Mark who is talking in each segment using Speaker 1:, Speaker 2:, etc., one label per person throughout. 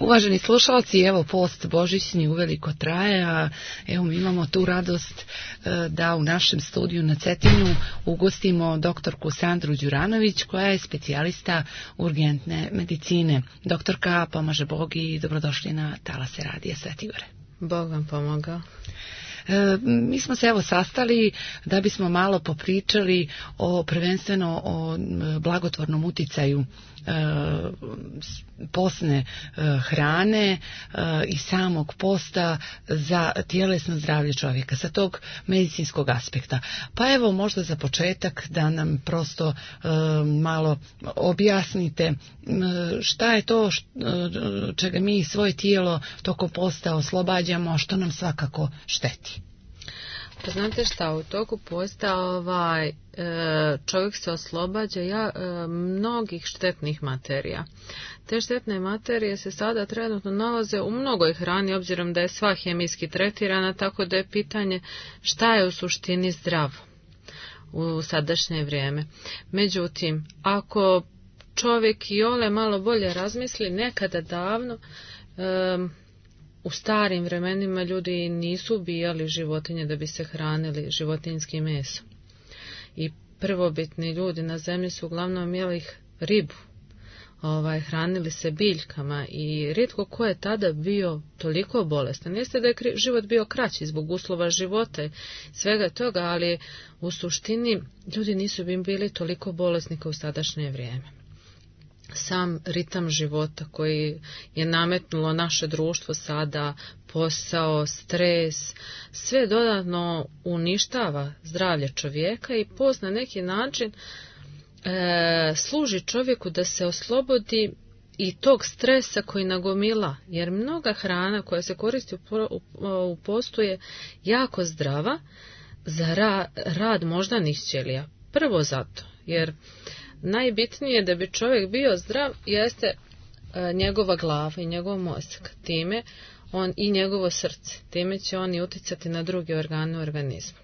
Speaker 1: Uvaženi slušalci, evo post božićni uveliko traje, a evo mi imamo tu radost da u našem studiju na Cetinju ugostimo doktorku Sandru Đuranović, koja je specijalista urgentne medicine. Doktorka, pomaže Bog i dobrodošli na Talase radija Sveti Gore.
Speaker 2: Bog vam pomogao.
Speaker 1: Mi smo se evo sastali da bismo malo popričali prvenstveno o blagotvornom uticaju postne hrane i samog posta za tjelesno zdravlje čovjeka sa tog medicinskog aspekta. Pa evo možda za početak da nam prosto malo objasnite šta je to čega mi svoje tijelo tokom posta oslobađamo, a što nam svakako šteti.
Speaker 2: Pa znate šta, u toku posta čovjek se oslobađa mnogih štetnih materija. Te štetne materije se sada trenutno nalaze u mnogoj hrani, obzirom da je sva hemijski tretirana, tako da je pitanje šta je u suštini zdravo u sadašnje vrijeme. Međutim, ako čovjek i ole malo bolje razmisli, nekada davno u starim vremenima ljudi nisu ubijali životinje da bi se hranili životinjskim mesom. I prvobitni ljudi na zemlji su uglavnom jeli ribu, hranili se biljkama i rijetko ko je tada bio toliko bolestan. Jeste da je život bio kraći zbog uslova života i svega toga, ali u suštini ljudi nisu bili toliko bolesni kao u sadašnje vrijeme. Sam ritam života koji je nametnulo naše društvo sada, posao, stres, sve dodatno uništava zdravlje čovjeka i post na neki način služi čovjeku da se oslobodi i tog stresa koji nagomila, jer mnoga hrana koja se koristi u postu je jako zdrava za rad moždanih ćelija. Prvo zato, jer najbitnije da bi čovjek bio zdrav jeste njegova glava i njegov mozak, time on i njegovo srce, time će on i utjecati na druge organe u organizmu.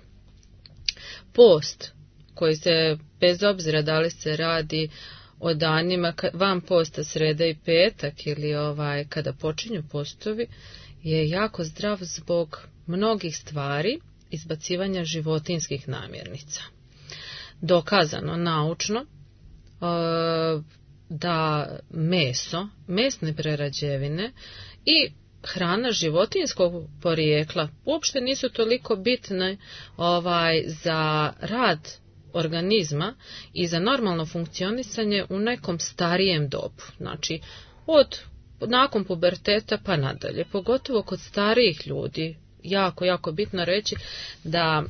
Speaker 2: Post, koji se bez obzira da li se radi o danima van posta sreda i petak ili kada počinju postovi, je jako zdrav zbog mnogih stvari, izbacivanja životinjskih namirnica. Dokazano naučno da meso, mesne prerađevine i hrana životinjskog porijekla uopšte nisu toliko bitne za rad organizma i za normalno funkcionisanje u nekom starijem dobu. Znači, nakon puberteta pa nadalje, pogotovo kod starijih ljudi, jako bitno reći da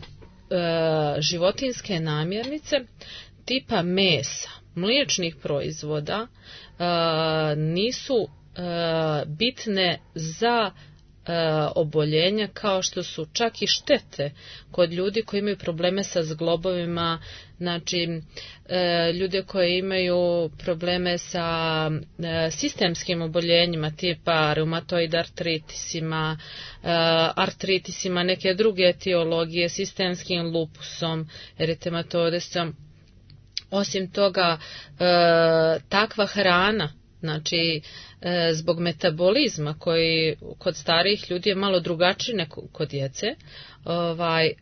Speaker 2: životinjske namirnice tipa mesa, mliječnih proizvoda nisu bitne za oboljenja kao što su čak i štete kod ljudi koji imaju probleme sa zglobovima, znači ljude koji imaju probleme sa sistemskim oboljenjima tipa reumatoid artritisima, neke druge etiologije, sistemskim lupusom, eritematodesom. Osim toga, takva hrana, znači zbog metabolizma koji kod starijih ljudi je malo drugačiji nego kod djece,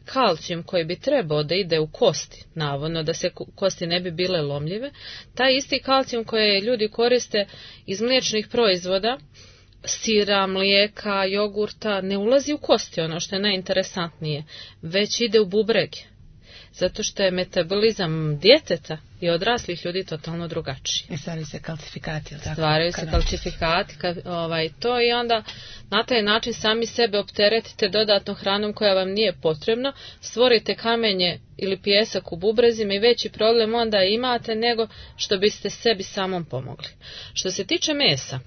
Speaker 2: kalcijum koji bi trebao da ide u kosti, navodno da se kosti ne bi bile lomljive, taj isti kalcijum koji ljudi koriste iz mliječnih proizvoda, sira, mlijeka, jogurta, ne ulazi u kosti, ono što je najinteresantnije, već ide u bubrege. Zato što je metabolizam djeteta i odraslih ljudi totalno drugačiji.
Speaker 1: I stvaraju se kalcifikati.
Speaker 2: Stvaraju se kalcifikati, to i onda na taj način sami sebe opteretite dodatnom hranom koja vam nije potrebna, stvorite kamenje ili pijesak u bubrezima i veći problem onda imate nego što biste sebi samom pomogli. Što se tiče mesa,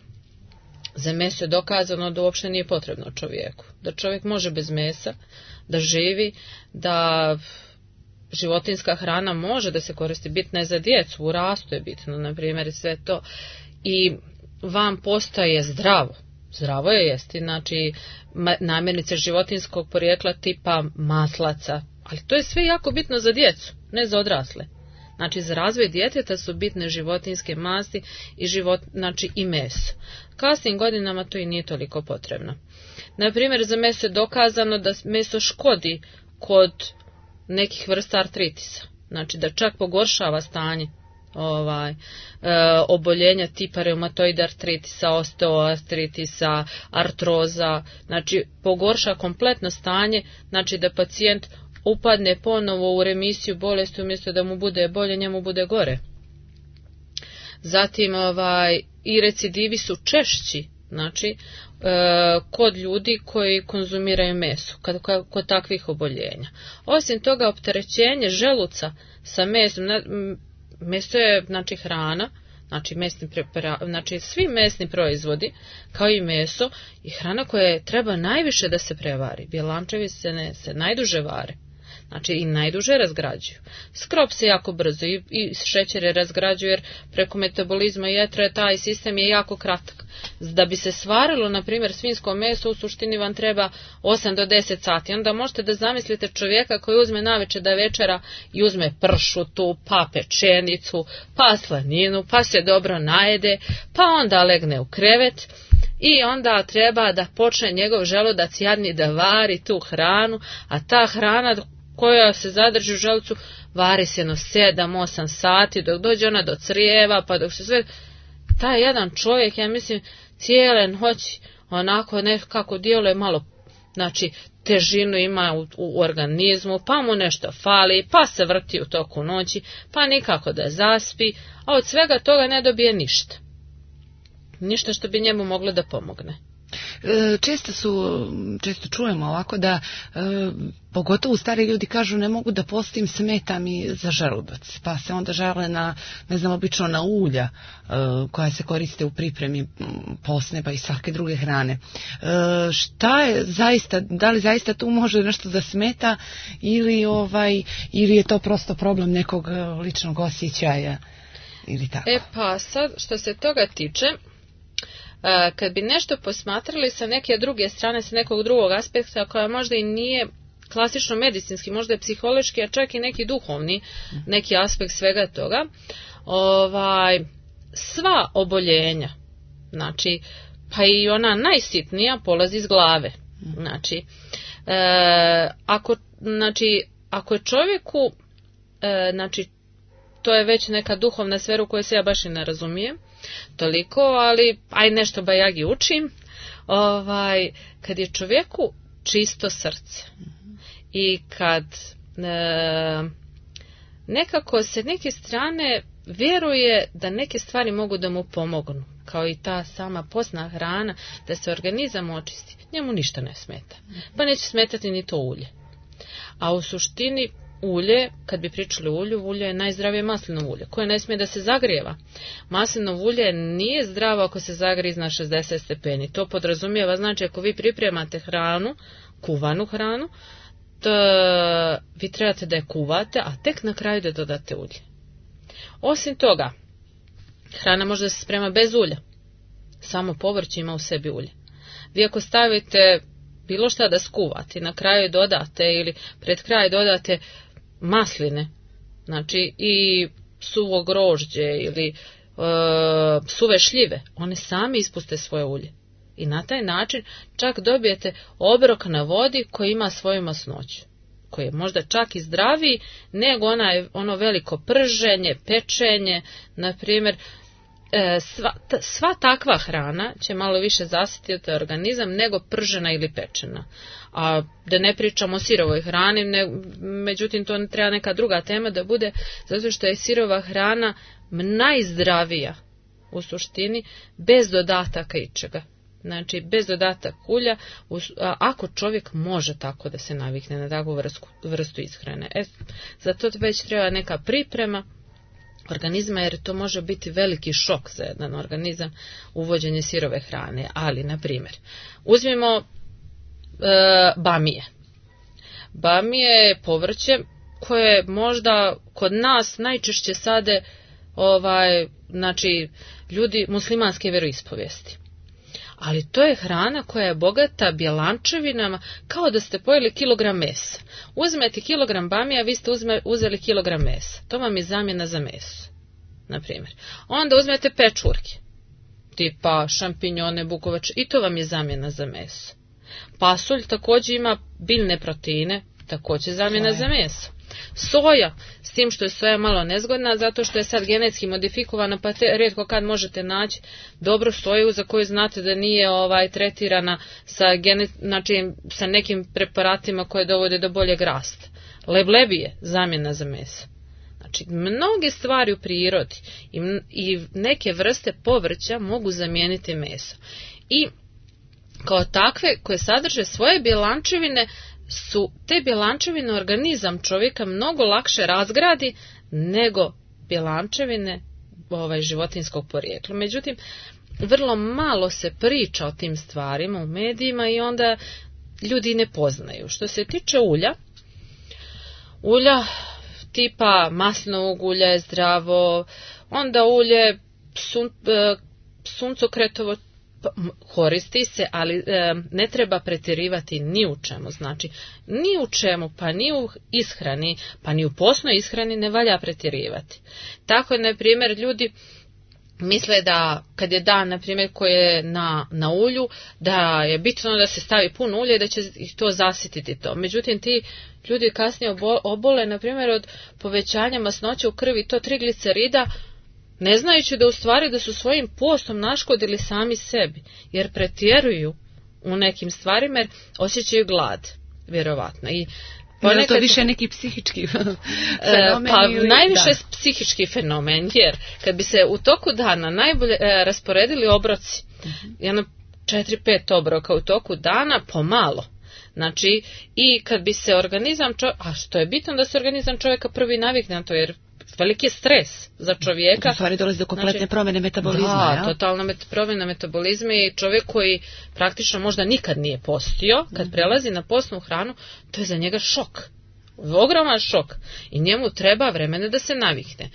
Speaker 2: za meso je dokazano da uopšte nije potrebno čovjeku. Da čovjek može bez mesa, da živi, da životinjska hrana može da se koristi, bitna je za djecu, u rastu je bitno, na primjer, sve to. I vam postaje zdravo je jesti, znači namirnice životinjskog porijekla tipa maslaca, ali to je sve jako bitno za djecu, ne za odrasle. Znači za razvoj djeteta su bitne životinjske masti i znači i meso. kasnim godinama to i nije toliko potrebno. Na primjer, za meso je dokazano da meso škodi kod nekih vrsta artritisa. Znači da čak pogoršava stanje oboljenja tipa reumatoid artritisa, osteoartritisa, artroza, znači pogorša kompletno stanje, znači da pacijent upadne ponovo u remisiju bolesti, umjesto da mu bude bolje, njemu bude gore. Zatim i recidivi su češći, znači kod ljudi koji konzumiraju meso, kod takvih oboljenja. Osim toga, opterećenje želuca sa mesom, meso je znači hrana, znači svi mesni proizvodi, kao i meso, i hrana koja treba najviše da se prevari. Bjelančevi se najduže vare. Znači i najduže razgrađuju. Skrop se jako brzo i šećere razgrađuju, jer preko metabolizma jetre taj sistem je jako kratak. Da bi se svarilo, na primjer, svinjsko meso, u suštini vam treba 8 do 10 sati. Onda možete da zamislite čovjeka koji uzme navečer da večera i uzme pršutu, pa pečenicu, pa slaninu, pa se dobro najede, pa onda legne u krevet. I onda treba da počne njegov želudac jadni da vari tu hranu, a ta hrana koja se zadrži u želucu vari se 7-8 sati dok dođe ona do crijeva, pa dok se sve... Taj jedan čovjek, ja mislim, cijele noći onako nekako djeluje malo, znači težinu ima u organizmu, pa mu nešto fali, pa se vrti u toku noći, pa nikako da zaspi, a od svega toga ne dobije ništa. Ništa što bi njemu moglo da pomogne.
Speaker 1: Često čujemo ovako da pogotovo stari ljudi kažu ne mogu da postim, smeta mi za želudac, pa se onda žale na, ne znam, obično na ulja koja se koriste u pripremi postne pa i svake druge hrane. Šta je zaista, da li zaista tu može nešto da smeta ili je to prosto problem nekog ličnog osjećaja ili tako?
Speaker 2: Pa sad što se toga tiče, kad bi nešto posmatrali sa neke druge strane, sa nekog drugog aspekta koja možda i nije klasično medicinski, možda je psihološki, a čak i neki duhovni, neki aspekt svega toga, sva oboljenja, znači, pa i ona najsitnija polazi iz glave. Znači, ako je čovjeku, znači, to je već neka duhovna sfera u kojoj se ja baš i ne razumijem toliko, ali aj nešto bajagi učim, kad je čovjeku čisto srce i kad nekako se neke strane vjeruje da neke stvari mogu da mu pomognu, kao i ta sama postna hrana, da se organizam očisti, njemu ništa ne smeta, pa neće smetati ni to ulje. A u suštini ulje, kad bi pričali o ulju, ulje je najzdravije maslinovo ulje, koje ne smije da se zagrijeva. Maslinovo ulje nije zdravo ako se zagrije iznad 60 stepeni. To podrazumijeva, znači, ako vi pripremate hranu, kuvanu hranu, to vi trebate da je kuvate, a tek na kraju da dodate ulje. Osim toga, hrana može da se sprema bez ulja. Samo povrće ima u sebi ulje. Vi ako stavite bilo šta da skuvate, na kraju dodate ili pred kraj dodate masline, znači i suvo grožđe ili suve šljive, one sami ispuste svoje ulje. I na taj način čak dobijete obrok na vodi koji ima svoju masnoću, koji je možda čak i zdraviji nego ono veliko prženje, pečenje, na primjer. Sva takva hrana će malo više zasititi organizam nego pržena ili pečena. A da ne pričamo o sirovoj hrani, međutim to treba neka druga tema da bude, zato što je sirova hrana najzdravija u suštini, bez dodataka ičega. Znači bez dodataka ulja, ako čovjek može tako da se navikne na takvu vrstu ishrane. Zato već treba neka priprema organizma, jer to može biti veliki šok za jedan organizam, uvođenje sirove hrane. Ali, na primjer, uzmimo bamije. Bamije je povrće koje možda kod nas najčešće sade znači, ljudi muslimanske vjeroispovijesti. Ali to je hrana koja je bogata bjelančevinama, kao da ste pojeli kilogram mesa. Uzmete kilogram bamija, vi ste uzeli kilogram mesa. To vam je zamjena za meso, na primjer. Onda uzmete pečurke. tipa šampinjone, bukovač, i to vam je zamjena za meso. Pasulj također ima biljne proteine, također zamjena za meso. Soja, s tim što je soja malo nezgodna, zato što je sad genetski modifikovana, pa rijetko kad možete naći dobru soju za koju znate da nije tretirana sa nekim preparatima koje dovode do boljeg rasta. Leblebi je zamjena za meso. Znači, mnoge stvari u prirodi i neke vrste povrća mogu zamijeniti meso. I kao takve koje sadrže svoje bjelančevine, su te bjelančevine organizam čovjeka mnogo lakše razgradi nego bjelančevine životinjskog porijekla. Međutim, vrlo malo se priča o tim stvarima u medijima i onda ljudi ne poznaju. Što se tiče ulja tipa maslinovog ulja je zdravo, onda ulje suncokretovo koristi se, ali ne treba pretjerivati ni u čemu. Znači, ni u čemu, pa ni u ishrani, pa ni u postnoj ishrani ne valja pretjerivati. Tako, na primjer, ljudi misle da kad je dan, na primjer, koji je na ulju, da je bitno da se stavi puno ulje i da će ih to zasititi to. Međutim, ti ljudi kasnije obole, na primjer, od povećanja masnoće u krvi, to triglicerida, ne znajući da u stvari da su svojim postom naškodili sami sebi, jer pretjeruju u nekim stvarima jer osjećaju glad, vjerovatno. I
Speaker 1: ponekad, to više neki psihički fenomen?
Speaker 2: Pa najviše psihički fenomen, jer kad bi se u toku dana najbolje rasporedili obroci, jedno 4-5 obroka u toku dana, pomalo. Znači, i kad bi se organizam a što je bitno da se organizam čovjeka prvi navikne na to, jer veliki je stres za čovjeka.
Speaker 1: U stvari dolazi do kompletne promjene metabolizma.
Speaker 2: Da, totalna promjena metabolizma i čovjek koji praktično možda nikad nije postio, kad prelazi na postnu hranu, to je za njega šok. Ogroman šok. I njemu treba vremena da se navikne.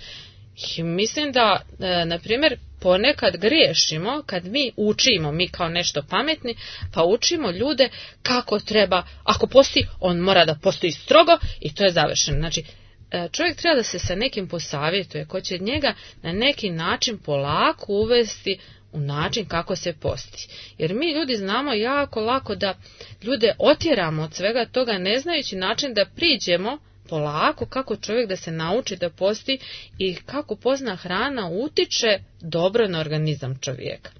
Speaker 2: I mislim da, na primjer, ponekad griješimo kad mi učimo, mi kao nešto pametni, pa učimo ljude kako treba, ako posti, on mora da postoji strogo i to je završeno. Znači, čovjek treba da se sa nekim posavjetuje ko će njega na neki način polako uvesti u način kako se posti. Jer mi ljudi znamo jako lako da ljude otjeramo od svega toga ne znajući način da priđemo polako kako čovjek da se nauči da posti i kako pozna hrana utiče dobro na organizam čovjeka.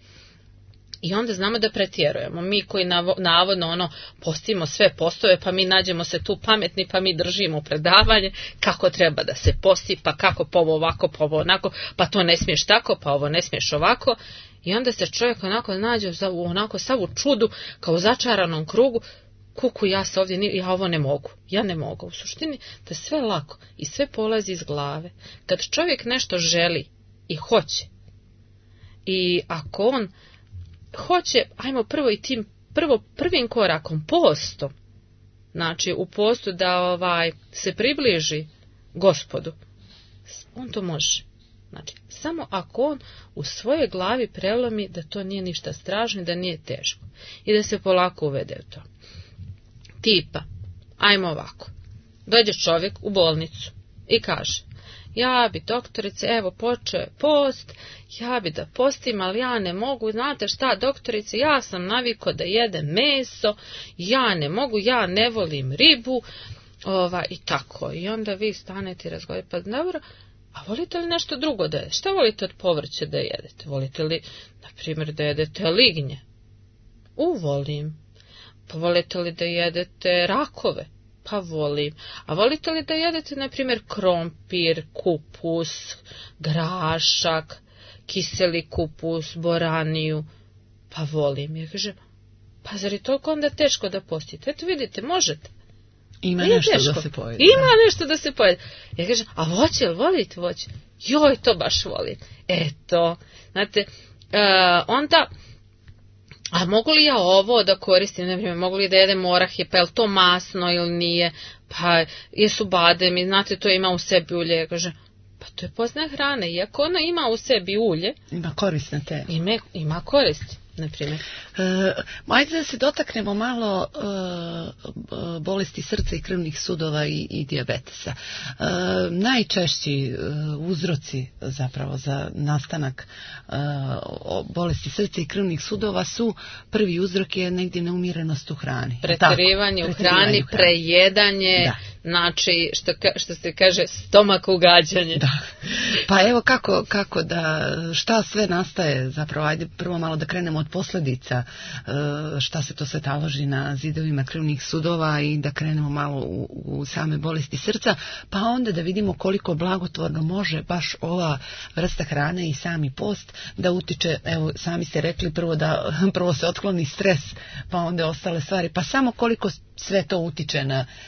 Speaker 2: I onda znamo da pretjerujemo. Mi koji navodno postimo sve postove, pa mi nađemo se tu pametni, pa mi držimo predavanje kako treba da se posti, pa kako pa ovo ovako, pa ovo onako, pa to ne smiješ tako, pa ovo ne smiješ ovako. I onda se čovjek onako nađe onako sav u čudu, kao u začaranom krugu, kuku ja se ovdje, ja ovo ne mogu, ja ne mogu. U suštini to je sve lako i sve polazi iz glave. Kad čovjek nešto želi i hoće, i ako on hoće, ajmo prvo i tim prvim korakom, postom, znači u postu da se približi Gospodu, on to može. Znači, samo ako on u svojoj glavi prelomi da to nije ništa strašno, da nije teško i da se polako uvede u to. Tipa, ajmo ovako, dođe čovjek u bolnicu i kaže, ja bi doktorice, evo počeo je post, ja bi da postim, ali ja ne mogu, znate šta doktorice, ja sam navikao da jedem meso, ja ne mogu, ja ne volim ribu, i tako. I onda vi stanete i razgovarate, pa dobro, a volite li nešto drugo da jedete? Šta volite od povrća da jedete? Volite li, na primjer, da jedete lignje? Volim. Pa volite li da jedete rakove? Pa volim. A volite li da jedete, na primjer, krompir, kupus, grašak, kiseli kupus, boraniju? Pa volim. Ja kažem, pa zar je toliko onda teško da postite? Eto vidite, možete.
Speaker 1: Ima nešto teško da se pojede.
Speaker 2: Ima nešto da se pojede. Ja kažem, a voće, volite voće? Joj, to baš volim. Eto, znate, onda... A mogu li ja ovo da koristim, ne primjer, mogu li da jedem orahe, pa je li to masno ili nije, pa jesu bademi, znate, to ima u sebi ulje, ja kažem, pa to je pozna hrana, iako ona ima u sebi ulje.
Speaker 1: Ima korist na te.
Speaker 2: Ima koristi. na primjer?
Speaker 1: Ajde da se dotaknemo malo bolesti srca i krvnih sudova i dijabetesa. Najčešći uzroci zapravo za nastanak bolesti srca i krvnih sudova su, prvi uzrok je negdje neumjerenost u hrani.
Speaker 2: Pretjerivanje u hrani, prejedanje, znači što se kaže stomak ugađanje.
Speaker 1: Da. Pa evo kako da, šta sve nastaje zapravo, ajde prvo malo da krenemo od posljedica, šta se to sve taloži na zidovima krvnih sudova i da krenemo malo u same bolesti srca, pa onda da vidimo koliko blagotvorno može baš ova vrsta hrane i sami post da utiče, evo sami ste rekli prvo se otkloni stres, pa onda ostale stvari, pa samo koliko sve to utiče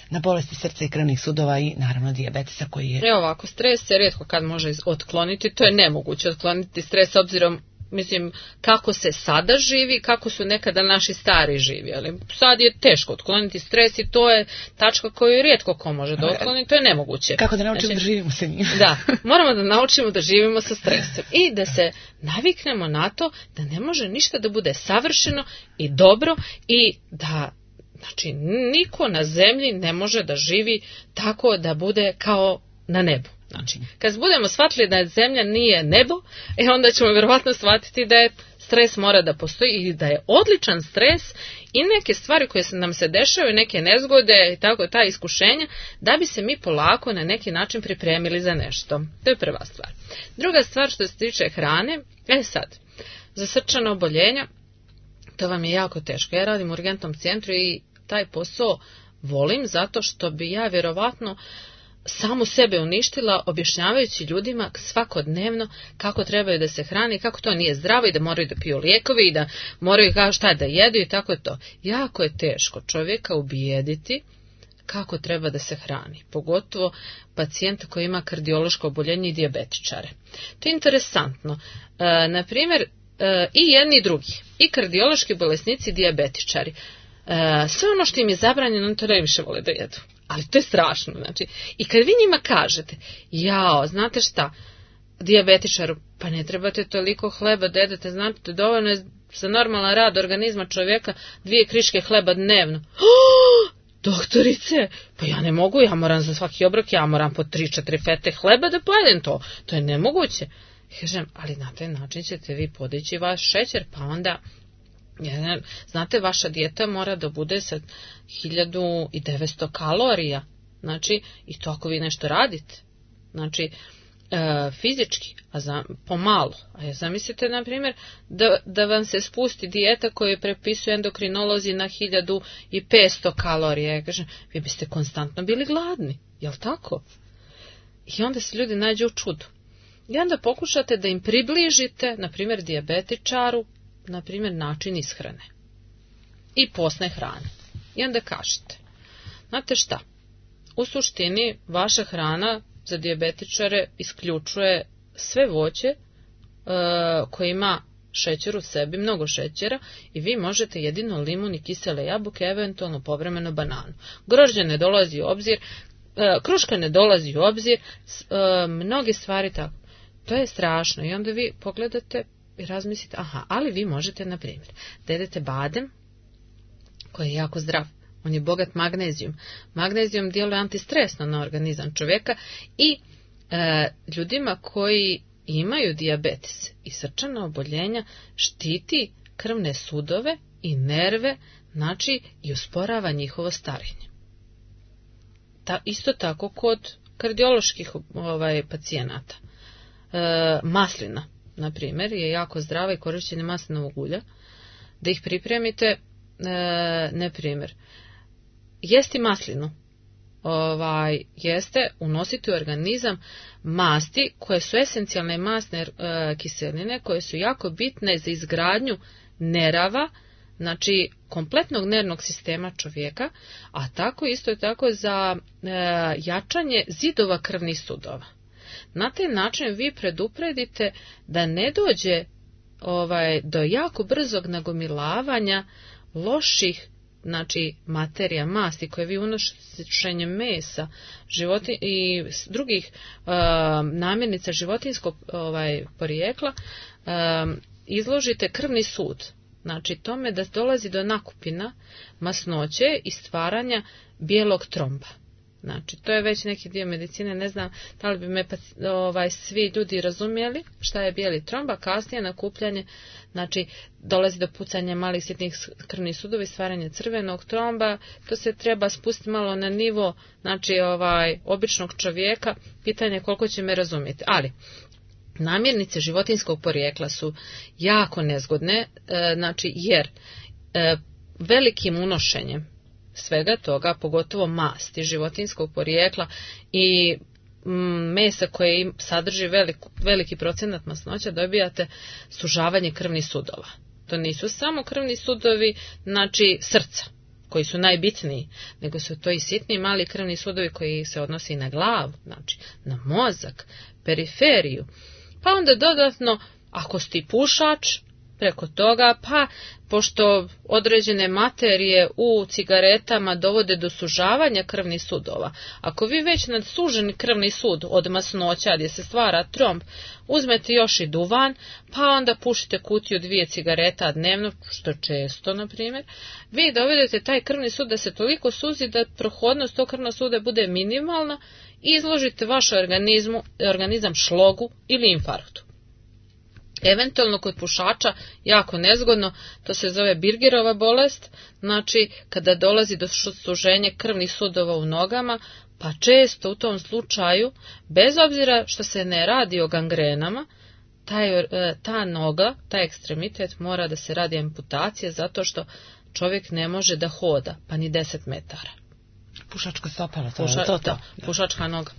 Speaker 1: na bolesti srca i krvnih sudova i naravno dijabetesa koji je...
Speaker 2: Evo ovako, stres se rijetko kad može otkloniti, to je nemoguće otkloniti stres obzirom, mislim, kako se sada živi, kako su nekada naši stari živjeli. Sad je teško otkloniti stres i to je tačka koju rijetko ko može da otkloni, to je nemoguće.
Speaker 1: Kako da naučimo da živimo sa njim?
Speaker 2: Da, moramo da naučimo da živimo sa stresom i da se naviknemo na to da ne može ništa da bude savršeno i dobro i da, znači, niko na zemlji ne može da živi tako da bude kao na nebu. Znači, kad budemo shvatili da zemlja nije nebo, onda ćemo vjerovatno shvatiti da je stres mora da postoji i da je odličan stres i neke stvari koje nam se dešavaju, neke nezgode i tako ta iskušenja, da bi se mi polako na neki način pripremili za nešto. To je prva stvar. Druga stvar što se tiče hrane, sad, za srčana oboljenja, to vam je jako teško. Ja radim u urgentnom centru i taj posao volim zato što bi ja vjerovatno samu sebe uništila objašnjavajući ljudima svakodnevno kako trebaju da se hrani, kako to nije zdravo i da moraju da piju lijekovi i da moraju šta da jedu i tako je to. Jako je teško čovjeka ubijediti kako treba da se hrani, pogotovo pacijenta koji ima kardiološko oboljenje i dijabetičare. To je interesantno. Na primjer, i jedni i drugi, i kardiološki bolesnici i dijabetičari, sve ono što im je zabranjeno, oni to najviše vole da jedu. Ali to je strašno, znači. I kad vi njima kažete, znate šta, dijabetičaru, pa ne trebate toliko hleba da jedete, znate, dovoljno je za normalan rad organizma čovjeka 2 kriške hleba dnevno. Doktorice, pa ja ne mogu, ja moram za svaki obrok, ja moram po 3-4 fete hleba da pojedem to je nemoguće. Kažem, ali na taj način ćete vi podići vaš šećer, pa onda... Znate, vaša dijeta mora da bude sa 1900 kalorija, znači, i to ako vi nešto radite, znači, fizički, pomalo. A zamislite, na primjer, da vam se spusti dijeta koju prepisuju endokrinolozi na 1500 kalorija. Ja kažem, vi biste konstantno bili gladni, jel tako? I onda se ljudi nađu u čudu. I onda pokušate da im približite, na primjer, dijabetičaru, na primjer, način ishrane i postne hrane. I onda kažete, znate šta, u suštini vaša hrana za dijabetičare isključuje sve voće koje ima šećer u sebi, mnogo šećera, i vi možete jedino limun i kisele jabuke, eventualno povremeno bananu. Grožđe ne dolazi u obzir, kruška ne dolazi u obzir, mnoge stvari tako. To je strašno i onda vi pogledate i razmislite, ali vi možete, na primjer, da jedete badem, koji je jako zdrav, on je bogat magnezijum. Magnezijum djeluje antistresno na organizam čovjeka i ljudima koji imaju dijabetes i srčana oboljenja štiti krvne sudove i nerve, znači i usporava njihovo starenje. Isto tako kod kardioloških pacijenata. Maslina, na primjer, je jako zdrava i korištenje maslinovog ulja. Da ih pripremite, na primjer, jesti maslinu, jeste unositi u organizam masti koje su esencijalne masne kiseline, koje su jako bitne za izgradnju nerava, znači kompletnog nervnog sistema čovjeka, a tako isto tako za jačanje zidova krvnih sudova. Na taj način vi predupredite da ne dođe do jako brzog nagomilavanja loših, znači, materija, masti koje vi unošenjem mesa i drugih namirnica životinjskog porijekla izložite krvni sud. Znači tome da dolazi do nakupina masnoće i stvaranja bijelog tromba. Znači, to je već neki dio medicine, ne znam da li bi me svi ljudi razumjeli šta je bijeli tromb, a kasnije nakupljanje, znači dolazi do pucanja malih sitnih krvnih sudova i stvaranje crvenog tromba, to se treba spustiti malo na nivo, znači običnog čovjeka, pitanje koliko će me razumjeti, ali namirnice životinjskog porijekla su jako nezgodne, znači jer velikim unošenjem svega toga, pogotovo masti životinjskog porijekla i mesa koje sadrži veliki procenat masnoća, dobijate sužavanje krvnih sudova. To nisu samo krvni sudovi, znači srca, koji su najbitniji, nego su to i sitni mali krvni sudovi koji se odnose i na glavu, znači na mozak, periferiju. Pa onda dodatno, ako si pušač, preko toga, pa pošto određene materije u cigaretama dovode do sužavanja krvnih sudova, ako vi već nad suženi krvni sud od masnoća gdje se stvara tromb, uzmete još i duvan, pa onda pušite kutiju 2 cigareta dnevno, što često, na primjer, vi dovedete taj krvni sud da se toliko suzi da prohodnost tog krvnog suda bude minimalna i izložite vaš organizam šlogu ili infarktu. Eventualno kod pušača jako nezgodno, to se zove Birgerova bolest, znači kada dolazi do suženja krvnih sudova u nogama, pa često u tom slučaju, bez obzira što se ne radi o gangrenama, ta noga, taj ekstremitet mora da se radi amputacija zato što čovjek ne može da hoda, pa ni 10 metara.
Speaker 1: Pušačka stopala,
Speaker 2: pušačka noga.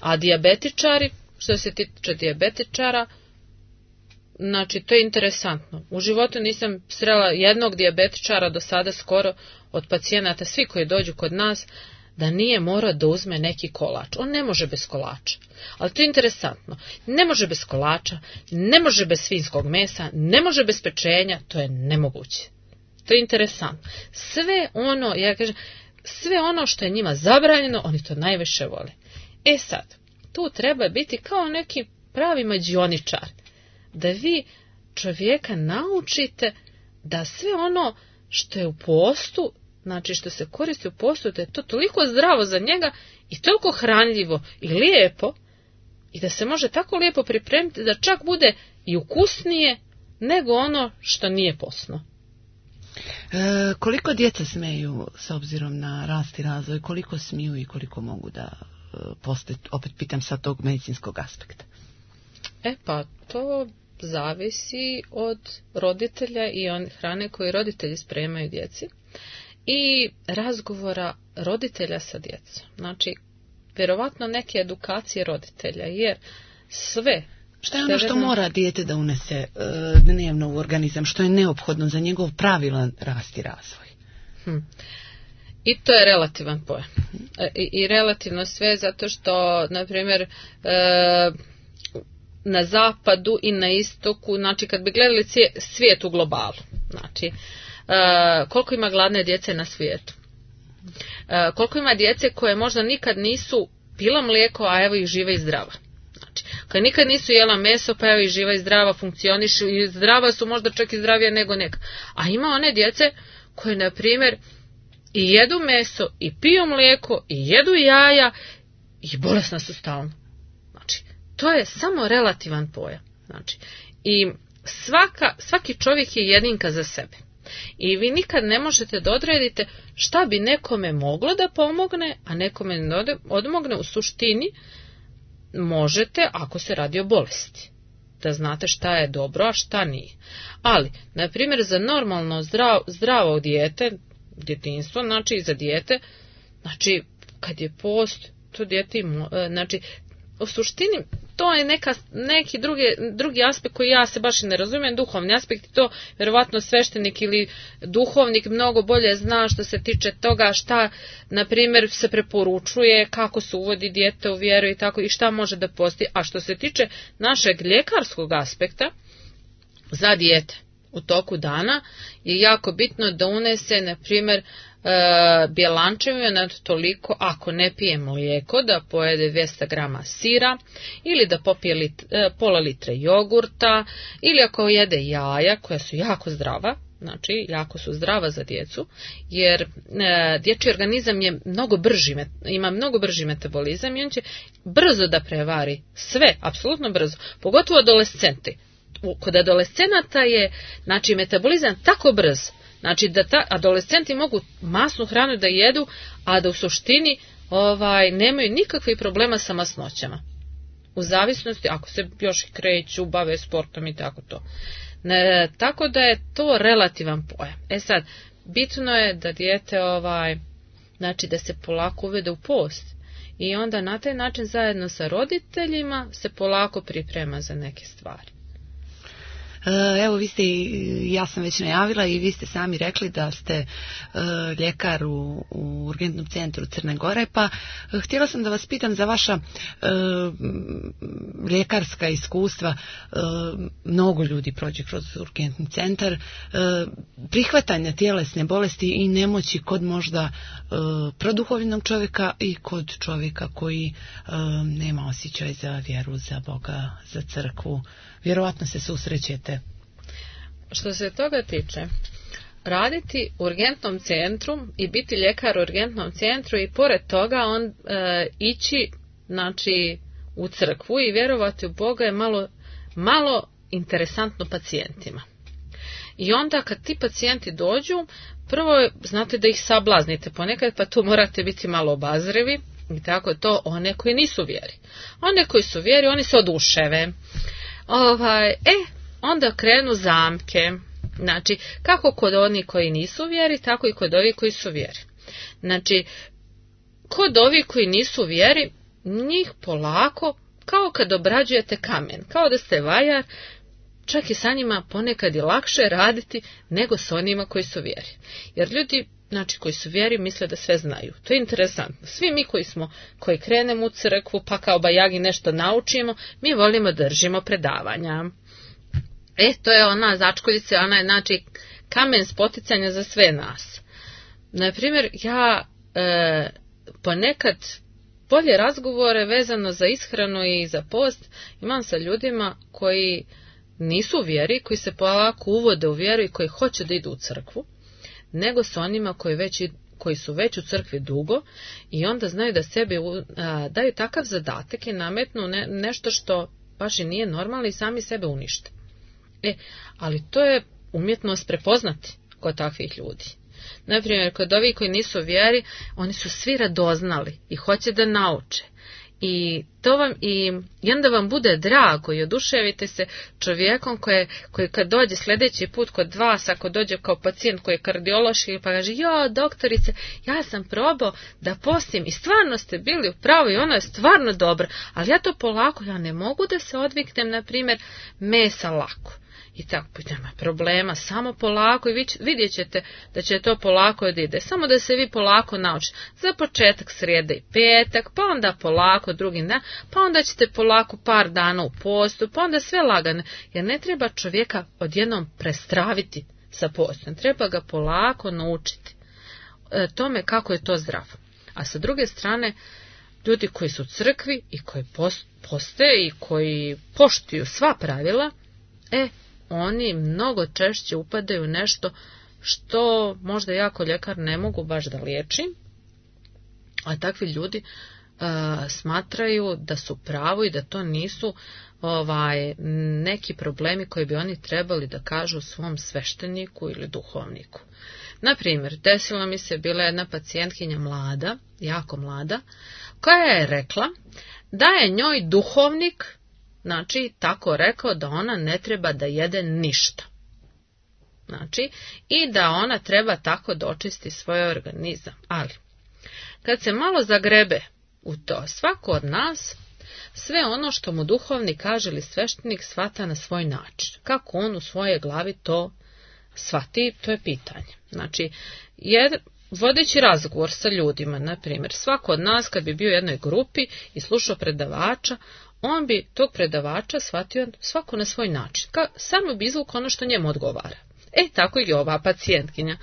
Speaker 2: A dijabetičari, što se tiče dijabetičara, znači to je interesantno. U životu nisam srela jednog dijabetičara do sada skoro od pacijenata, svi koji dođu kod nas, da nije morao da uzme neki kolač. On ne može bez kolača. Ali to je interesantno. Ne može bez kolača, ne može bez svinjskog mesa, ne može bez pečenja, to je nemoguće. To je interesantno. Sve ono što je njima zabranjeno, oni to najviše vole. E sad, tu treba biti kao neki pravi mađioničar, da vi čovjeka naučite da sve ono što je u postu, znači što se koristi u postu, da je to toliko zdravo za njega i toliko hranljivo i lijepo i da se može tako lijepo pripremiti da čak bude i ukusnije nego ono što nije postno.
Speaker 1: Koliko djeca smeju s obzirom na rast i razvoj, koliko smiju i koliko mogu da postati, opet pitam sa tog medicinskog aspekta?
Speaker 2: Pa to zavisi od roditelja i hrane koju roditelji spremaju djeci i razgovora roditelja sa djecom. Znači, vjerovatno neke edukacije roditelja, jer sve...
Speaker 1: Šta je ono što mora dijete da unese dnevno u organizam, što je neophodno za njegov pravilan rast i razvoj?
Speaker 2: I to je relativan pojam. I relativno sve, zato što, na primjer, na zapadu i na istoku, znači kad bi gledali svijet u globalu, znači koliko ima gladne djece na svijetu, koliko ima djece koje možda nikad nisu pila mlijeko, a evo ih živa i zdrava. Znači, kad nikad nisu jela meso, pa evo ih živa i zdrava, funkcionišu i zdrava su, možda čak i zdravije nego neka. A ima one djece koje, na primjer, i jedu meso, i piju mlijeko, i jedu jaja, i bolesna su stalno. Znači, to je samo relativan pojam. Znači, i svaki čovjek je jedinka za sebe. I vi nikad ne možete da odredite šta bi nekome moglo da pomogne, a nekome ne odmogne. U suštini možete ako se radi o bolesti. Da znate šta je dobro, a šta nije. Ali, na primjer, za normalno zdravo dijete, djetinjstvo, znači i za dijete, znači kad je post, to dijete znači u suštini to je neki drugi aspekt koji ja se baš i ne razumijem, duhovni aspekt, to vjerovatno sveštenik ili duhovnik mnogo bolje zna što se tiče toga šta, na primjer, se preporučuje, kako se uvodi dijete u vjeru i tako, i šta može da posti. A što se tiče našeg ljekarskog aspekta za dijete, u toku dana je jako bitno da unese, na primjer, bjelančevina toliko, ako ne pije mlijeko, da pojede 200 grama sira, ili da popije pola litre jogurta, ili ako jede jaja, koja su jako zdrava, znači jako su zdrava za djecu, jer dječji organizam je ima mnogo brži metabolizam i on će brzo da prevari sve, apsolutno brzo, pogotovo adolescenti. Kod adolescenata je, znači, metabolizam tako brz, znači da adolescenti mogu masnu hranu da jedu, a da u suštini nemaju nikakvih problema sa masnoćama. U zavisnosti, ako se još kreću, bave sportom i tako to. Tako da je to relativan pojam. Sad, bitno je da dijete znači da se polako uvede u post i onda na taj način zajedno sa roditeljima se polako priprema za neke stvari.
Speaker 1: Evo, vi ste, ja sam već najavila i vi ste sami rekli da ste ljekar u urgentnom centru Crne Gore, pa htjela sam da vas pitam za vaša ljekarska iskustva. Mnogo ljudi prođe kroz urgentni centar, prihvatanja tjelesne bolesti i nemoći kod možda produhovljenog čovjeka i kod čovjeka koji nema osjećaj za vjeru, za Boga, za crkvu. Vjerovatno se susrećete.
Speaker 2: Što se toga tiče, raditi u urgentnom centru i biti ljekar u urgentnom centru i pored toga ići, znači, u crkvu i vjerovati u Boga je malo interesantno pacijentima. I onda kad ti pacijenti dođu, prvo znate da ih sablaznite ponekad, pa tu morate biti malo obazrivi i tako to one koji nisu vjeri. One koji su vjeri, oni se oduševe. Onda krenu zamke. Znači, kako kod onih koji nisu vjeri, tako i kod ovih koji su vjeri. Znači, kod ovih koji nisu vjeri, njih polako, kao kad obrađujete kamen, kao da ste vajar, čak i sa njima ponekad je lakše raditi nego s onima koji su vjeri. Jer ljudi, znači, koji su vjeri misle da sve znaju. To je interesantno. Svi mi koji krenemo u crkvu pa kao bajagi nešto naučimo, mi volimo držimo predavanja. To je ona začkoljica, ona je, znači, kamen spoticanja za sve nas. Naprimjer, ja ponekad bolje razgovore vezano za ishranu i za post imam sa ljudima koji nisu u vjeri, koji se polako uvode u vjeru i koji hoće da idu u crkvu, nego s onima koji su već u crkvi dugo i onda znaju da sebi daju takav zadatak i nametnu nešto što baš i nije normalno i sami sebe unište. Ali to je umjetnost prepoznati kod takvih ljudi. Naprimjer, kod ovih koji nisu vjeri, oni su svi radoznali i hoće da nauče. I onda vam bude drago i oduševite se čovjekom koji kad dođe sljedeći put kod vas, ako dođe kao pacijent koji je kardiološki, pa kaže, doktorice, ja sam probao da postim i stvarno ste bili u pravu i ono je stvarno dobro, ali ja to polako, ja ne mogu da se odviknem, na primjer, mesa lako. I tako, nema problema, samo polako i vidjet ćete da će to polako ide. Samo da se vi polako naučite. Za početak srijede i petak, pa onda polako drugi dan, pa onda ćete polako par dana u postu, pa onda sve lagane. Jer ne treba čovjeka odjednom prestraviti sa postom, treba ga polako naučiti tome kako je to zdravo. A sa druge strane, ljudi koji su u crkvi i koji poste i koji poštuju sva pravila, oni mnogo češće upadaju u nešto što možda ja kao ljekar ne mogu baš da liječim, a takvi ljudi smatraju da su pravo i da to nisu neki problemi koji bi oni trebali da kažu svom svešteniku ili duhovniku. Naprimjer, desila mi se bila jedna pacijentkinja mlada, jako mlada, koja je rekla da je njoj duhovnik, znači, tako rekao da ona ne treba da jede ništa. Znači, i da ona treba tako da očisti svoj organizam. Ali, kad se malo zagrebe u to, svako od nas, sve ono što mu duhovnik kaže ili sveštenik shvata na svoj način. Kako on u svojoj glavi to shvati, to je pitanje. Znači, vodeći razgovor sa ljudima, na primjer, svako od nas kad bi bio u jednoj grupi i slušao predavača, on bi tog predavača shvatio svako na svoj način. Samo bi izvukao ono što njemu odgovara. Tako i ova pacijentkinja.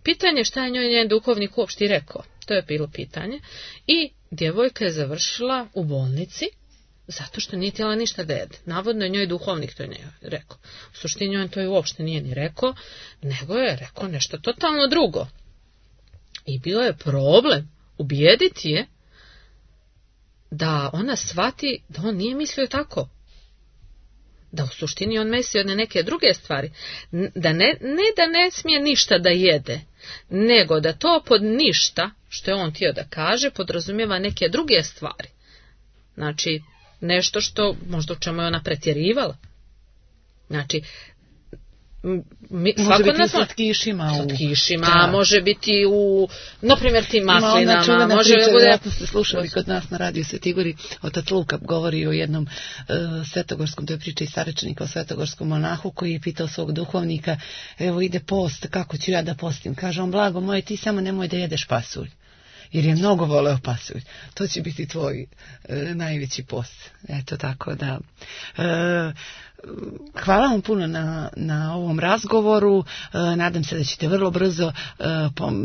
Speaker 2: Pitanje šta je njoj njen duhovnik uopšte rekao. To je bilo pitanje. I djevojka je završila u bolnici zato što nije htjela ništa da jede. Navodno je njoj duhovnik to nije rekao. U suštini on to je uopšte nije ni rekao, nego je rekao nešto totalno drugo. I bio je problem ubijediti je da ona shvati da on nije mislio tako. Da u suštini on mislio na neke druge stvari. Da ne smije ništa da jede, nego da to pod ništa, što je on htio da kaže, podrazumijeva neke druge stvari. Znači, nešto što možda u čemu je ona pretjerivala. Znači,
Speaker 1: može biti u slatkišima.
Speaker 2: Može biti u, naprimjer, tim maslinama.
Speaker 1: Ona može priča, vjerojatno ste slušali kod nas na radiju Sveti Igori, otac Luka govori o jednom svetogorskom, to je priča iz Sarečanika o svetogorskom monahu koji je pitao svog duhovnika, evo ide post, kako ću ja da postim? Kaže on, blago moje, ti samo nemoj da jedeš pasulj. Jer je mnogo voleo pasulj. To će biti tvoj najveći post. Eto tako da. Hvala vam puno na ovom razgovoru. Nadam se da ćete vrlo brzo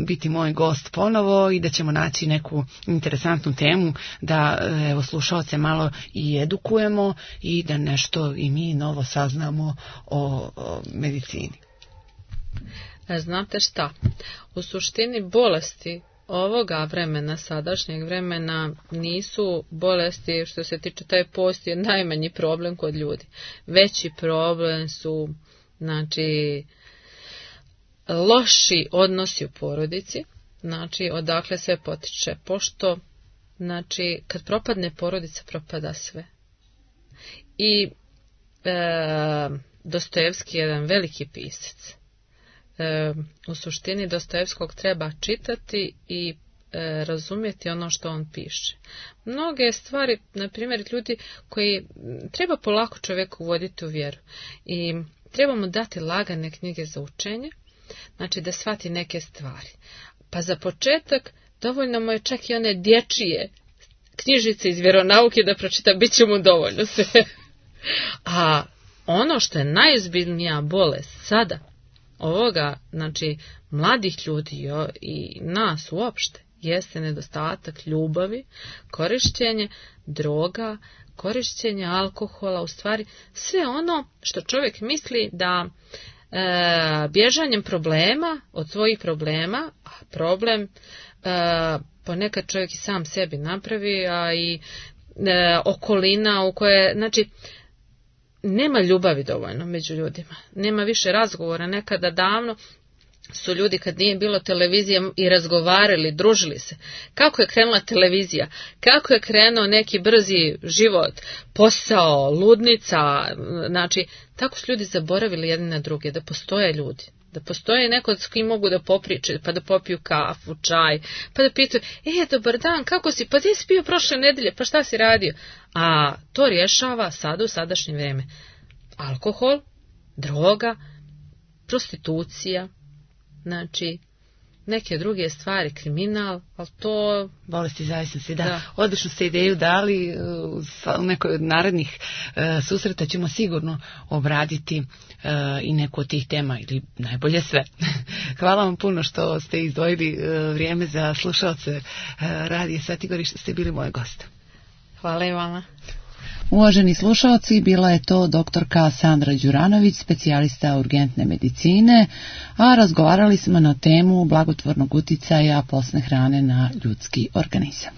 Speaker 1: biti moj gost ponovo i da ćemo naći neku interesantnu temu da slušaoce malo i edukujemo i da nešto i mi novo saznamo o medicini.
Speaker 2: Znate šta? U suštini bolesti ovoga vremena, sadašnjeg vremena, nisu bolesti, što se tiče taj post je najmanji problem kod ljudi. Veći problem su, znači, loši odnosi u porodici, znači, odakle sve potiče. Pošto, znači, kad propadne porodica, propada sve. I Dostojevski je jedan veliki pisac. U suštini Dostojevskog treba čitati i razumjeti ono što on piše. Mnoge stvari, na primjer, ljudi koji treba polako čovjeku uvoditi u vjeru i treba mu dati lagane knjige za učenje, znači da shvati neke stvari. Pa za početak dovoljno mu je čak i one dječije knjižice iz vjeronauke da pročita, bit će mu dovoljno sve. A ono što je najozbiljnija bolest sada, ovoga, znači, mladih ljudi i nas uopšte, jeste nedostatak ljubavi, korištenje droga, korištenje alkohola, u stvari sve ono što čovjek misli da bježanjem problema od svojih problema, a problem ponekad čovjek i sam sebi napravi, a i okolina u kojoj, znači, nema ljubavi dovoljno među ljudima. Nema više razgovora. Nekada davno su ljudi, kad nije bilo televizije, i razgovarali, družili se. Kako je krenula televizija? Kako je krenuo neki brzi život? Posao, ludnica. Znači, tako su ljudi zaboravili jedni na druge, da postoje ljudi. Da postoje neko s kim mogu da popričaju, pa da popiju kafu, čaj, pa da pitaju, dobar dan, kako si, pa gdje si bio prošle nedelje, pa šta si radio? A to rješava sada u sadašnje vrijeme. Alkohol, droga, prostitucija, znači neke druge stvari, kriminal, ali to...
Speaker 1: Bolesti zavisnosti, da. Odlično ste ideju dali, u nekoj od narednih susreta ćemo sigurno obraditi i neku od tih tema, ili najbolje sve. Hvala vam puno što ste izdvojili vrijeme za slušalce Radija Sveti Igor i što ste bili moj gost.
Speaker 2: Hvala i vama.
Speaker 1: Uvaženi slušalci, bila je to doktorka Sandra Đuranović, specijalista urgentne medicine, a razgovarali smo na temu blagotvornog uticaja postne hrane na ljudski organizam.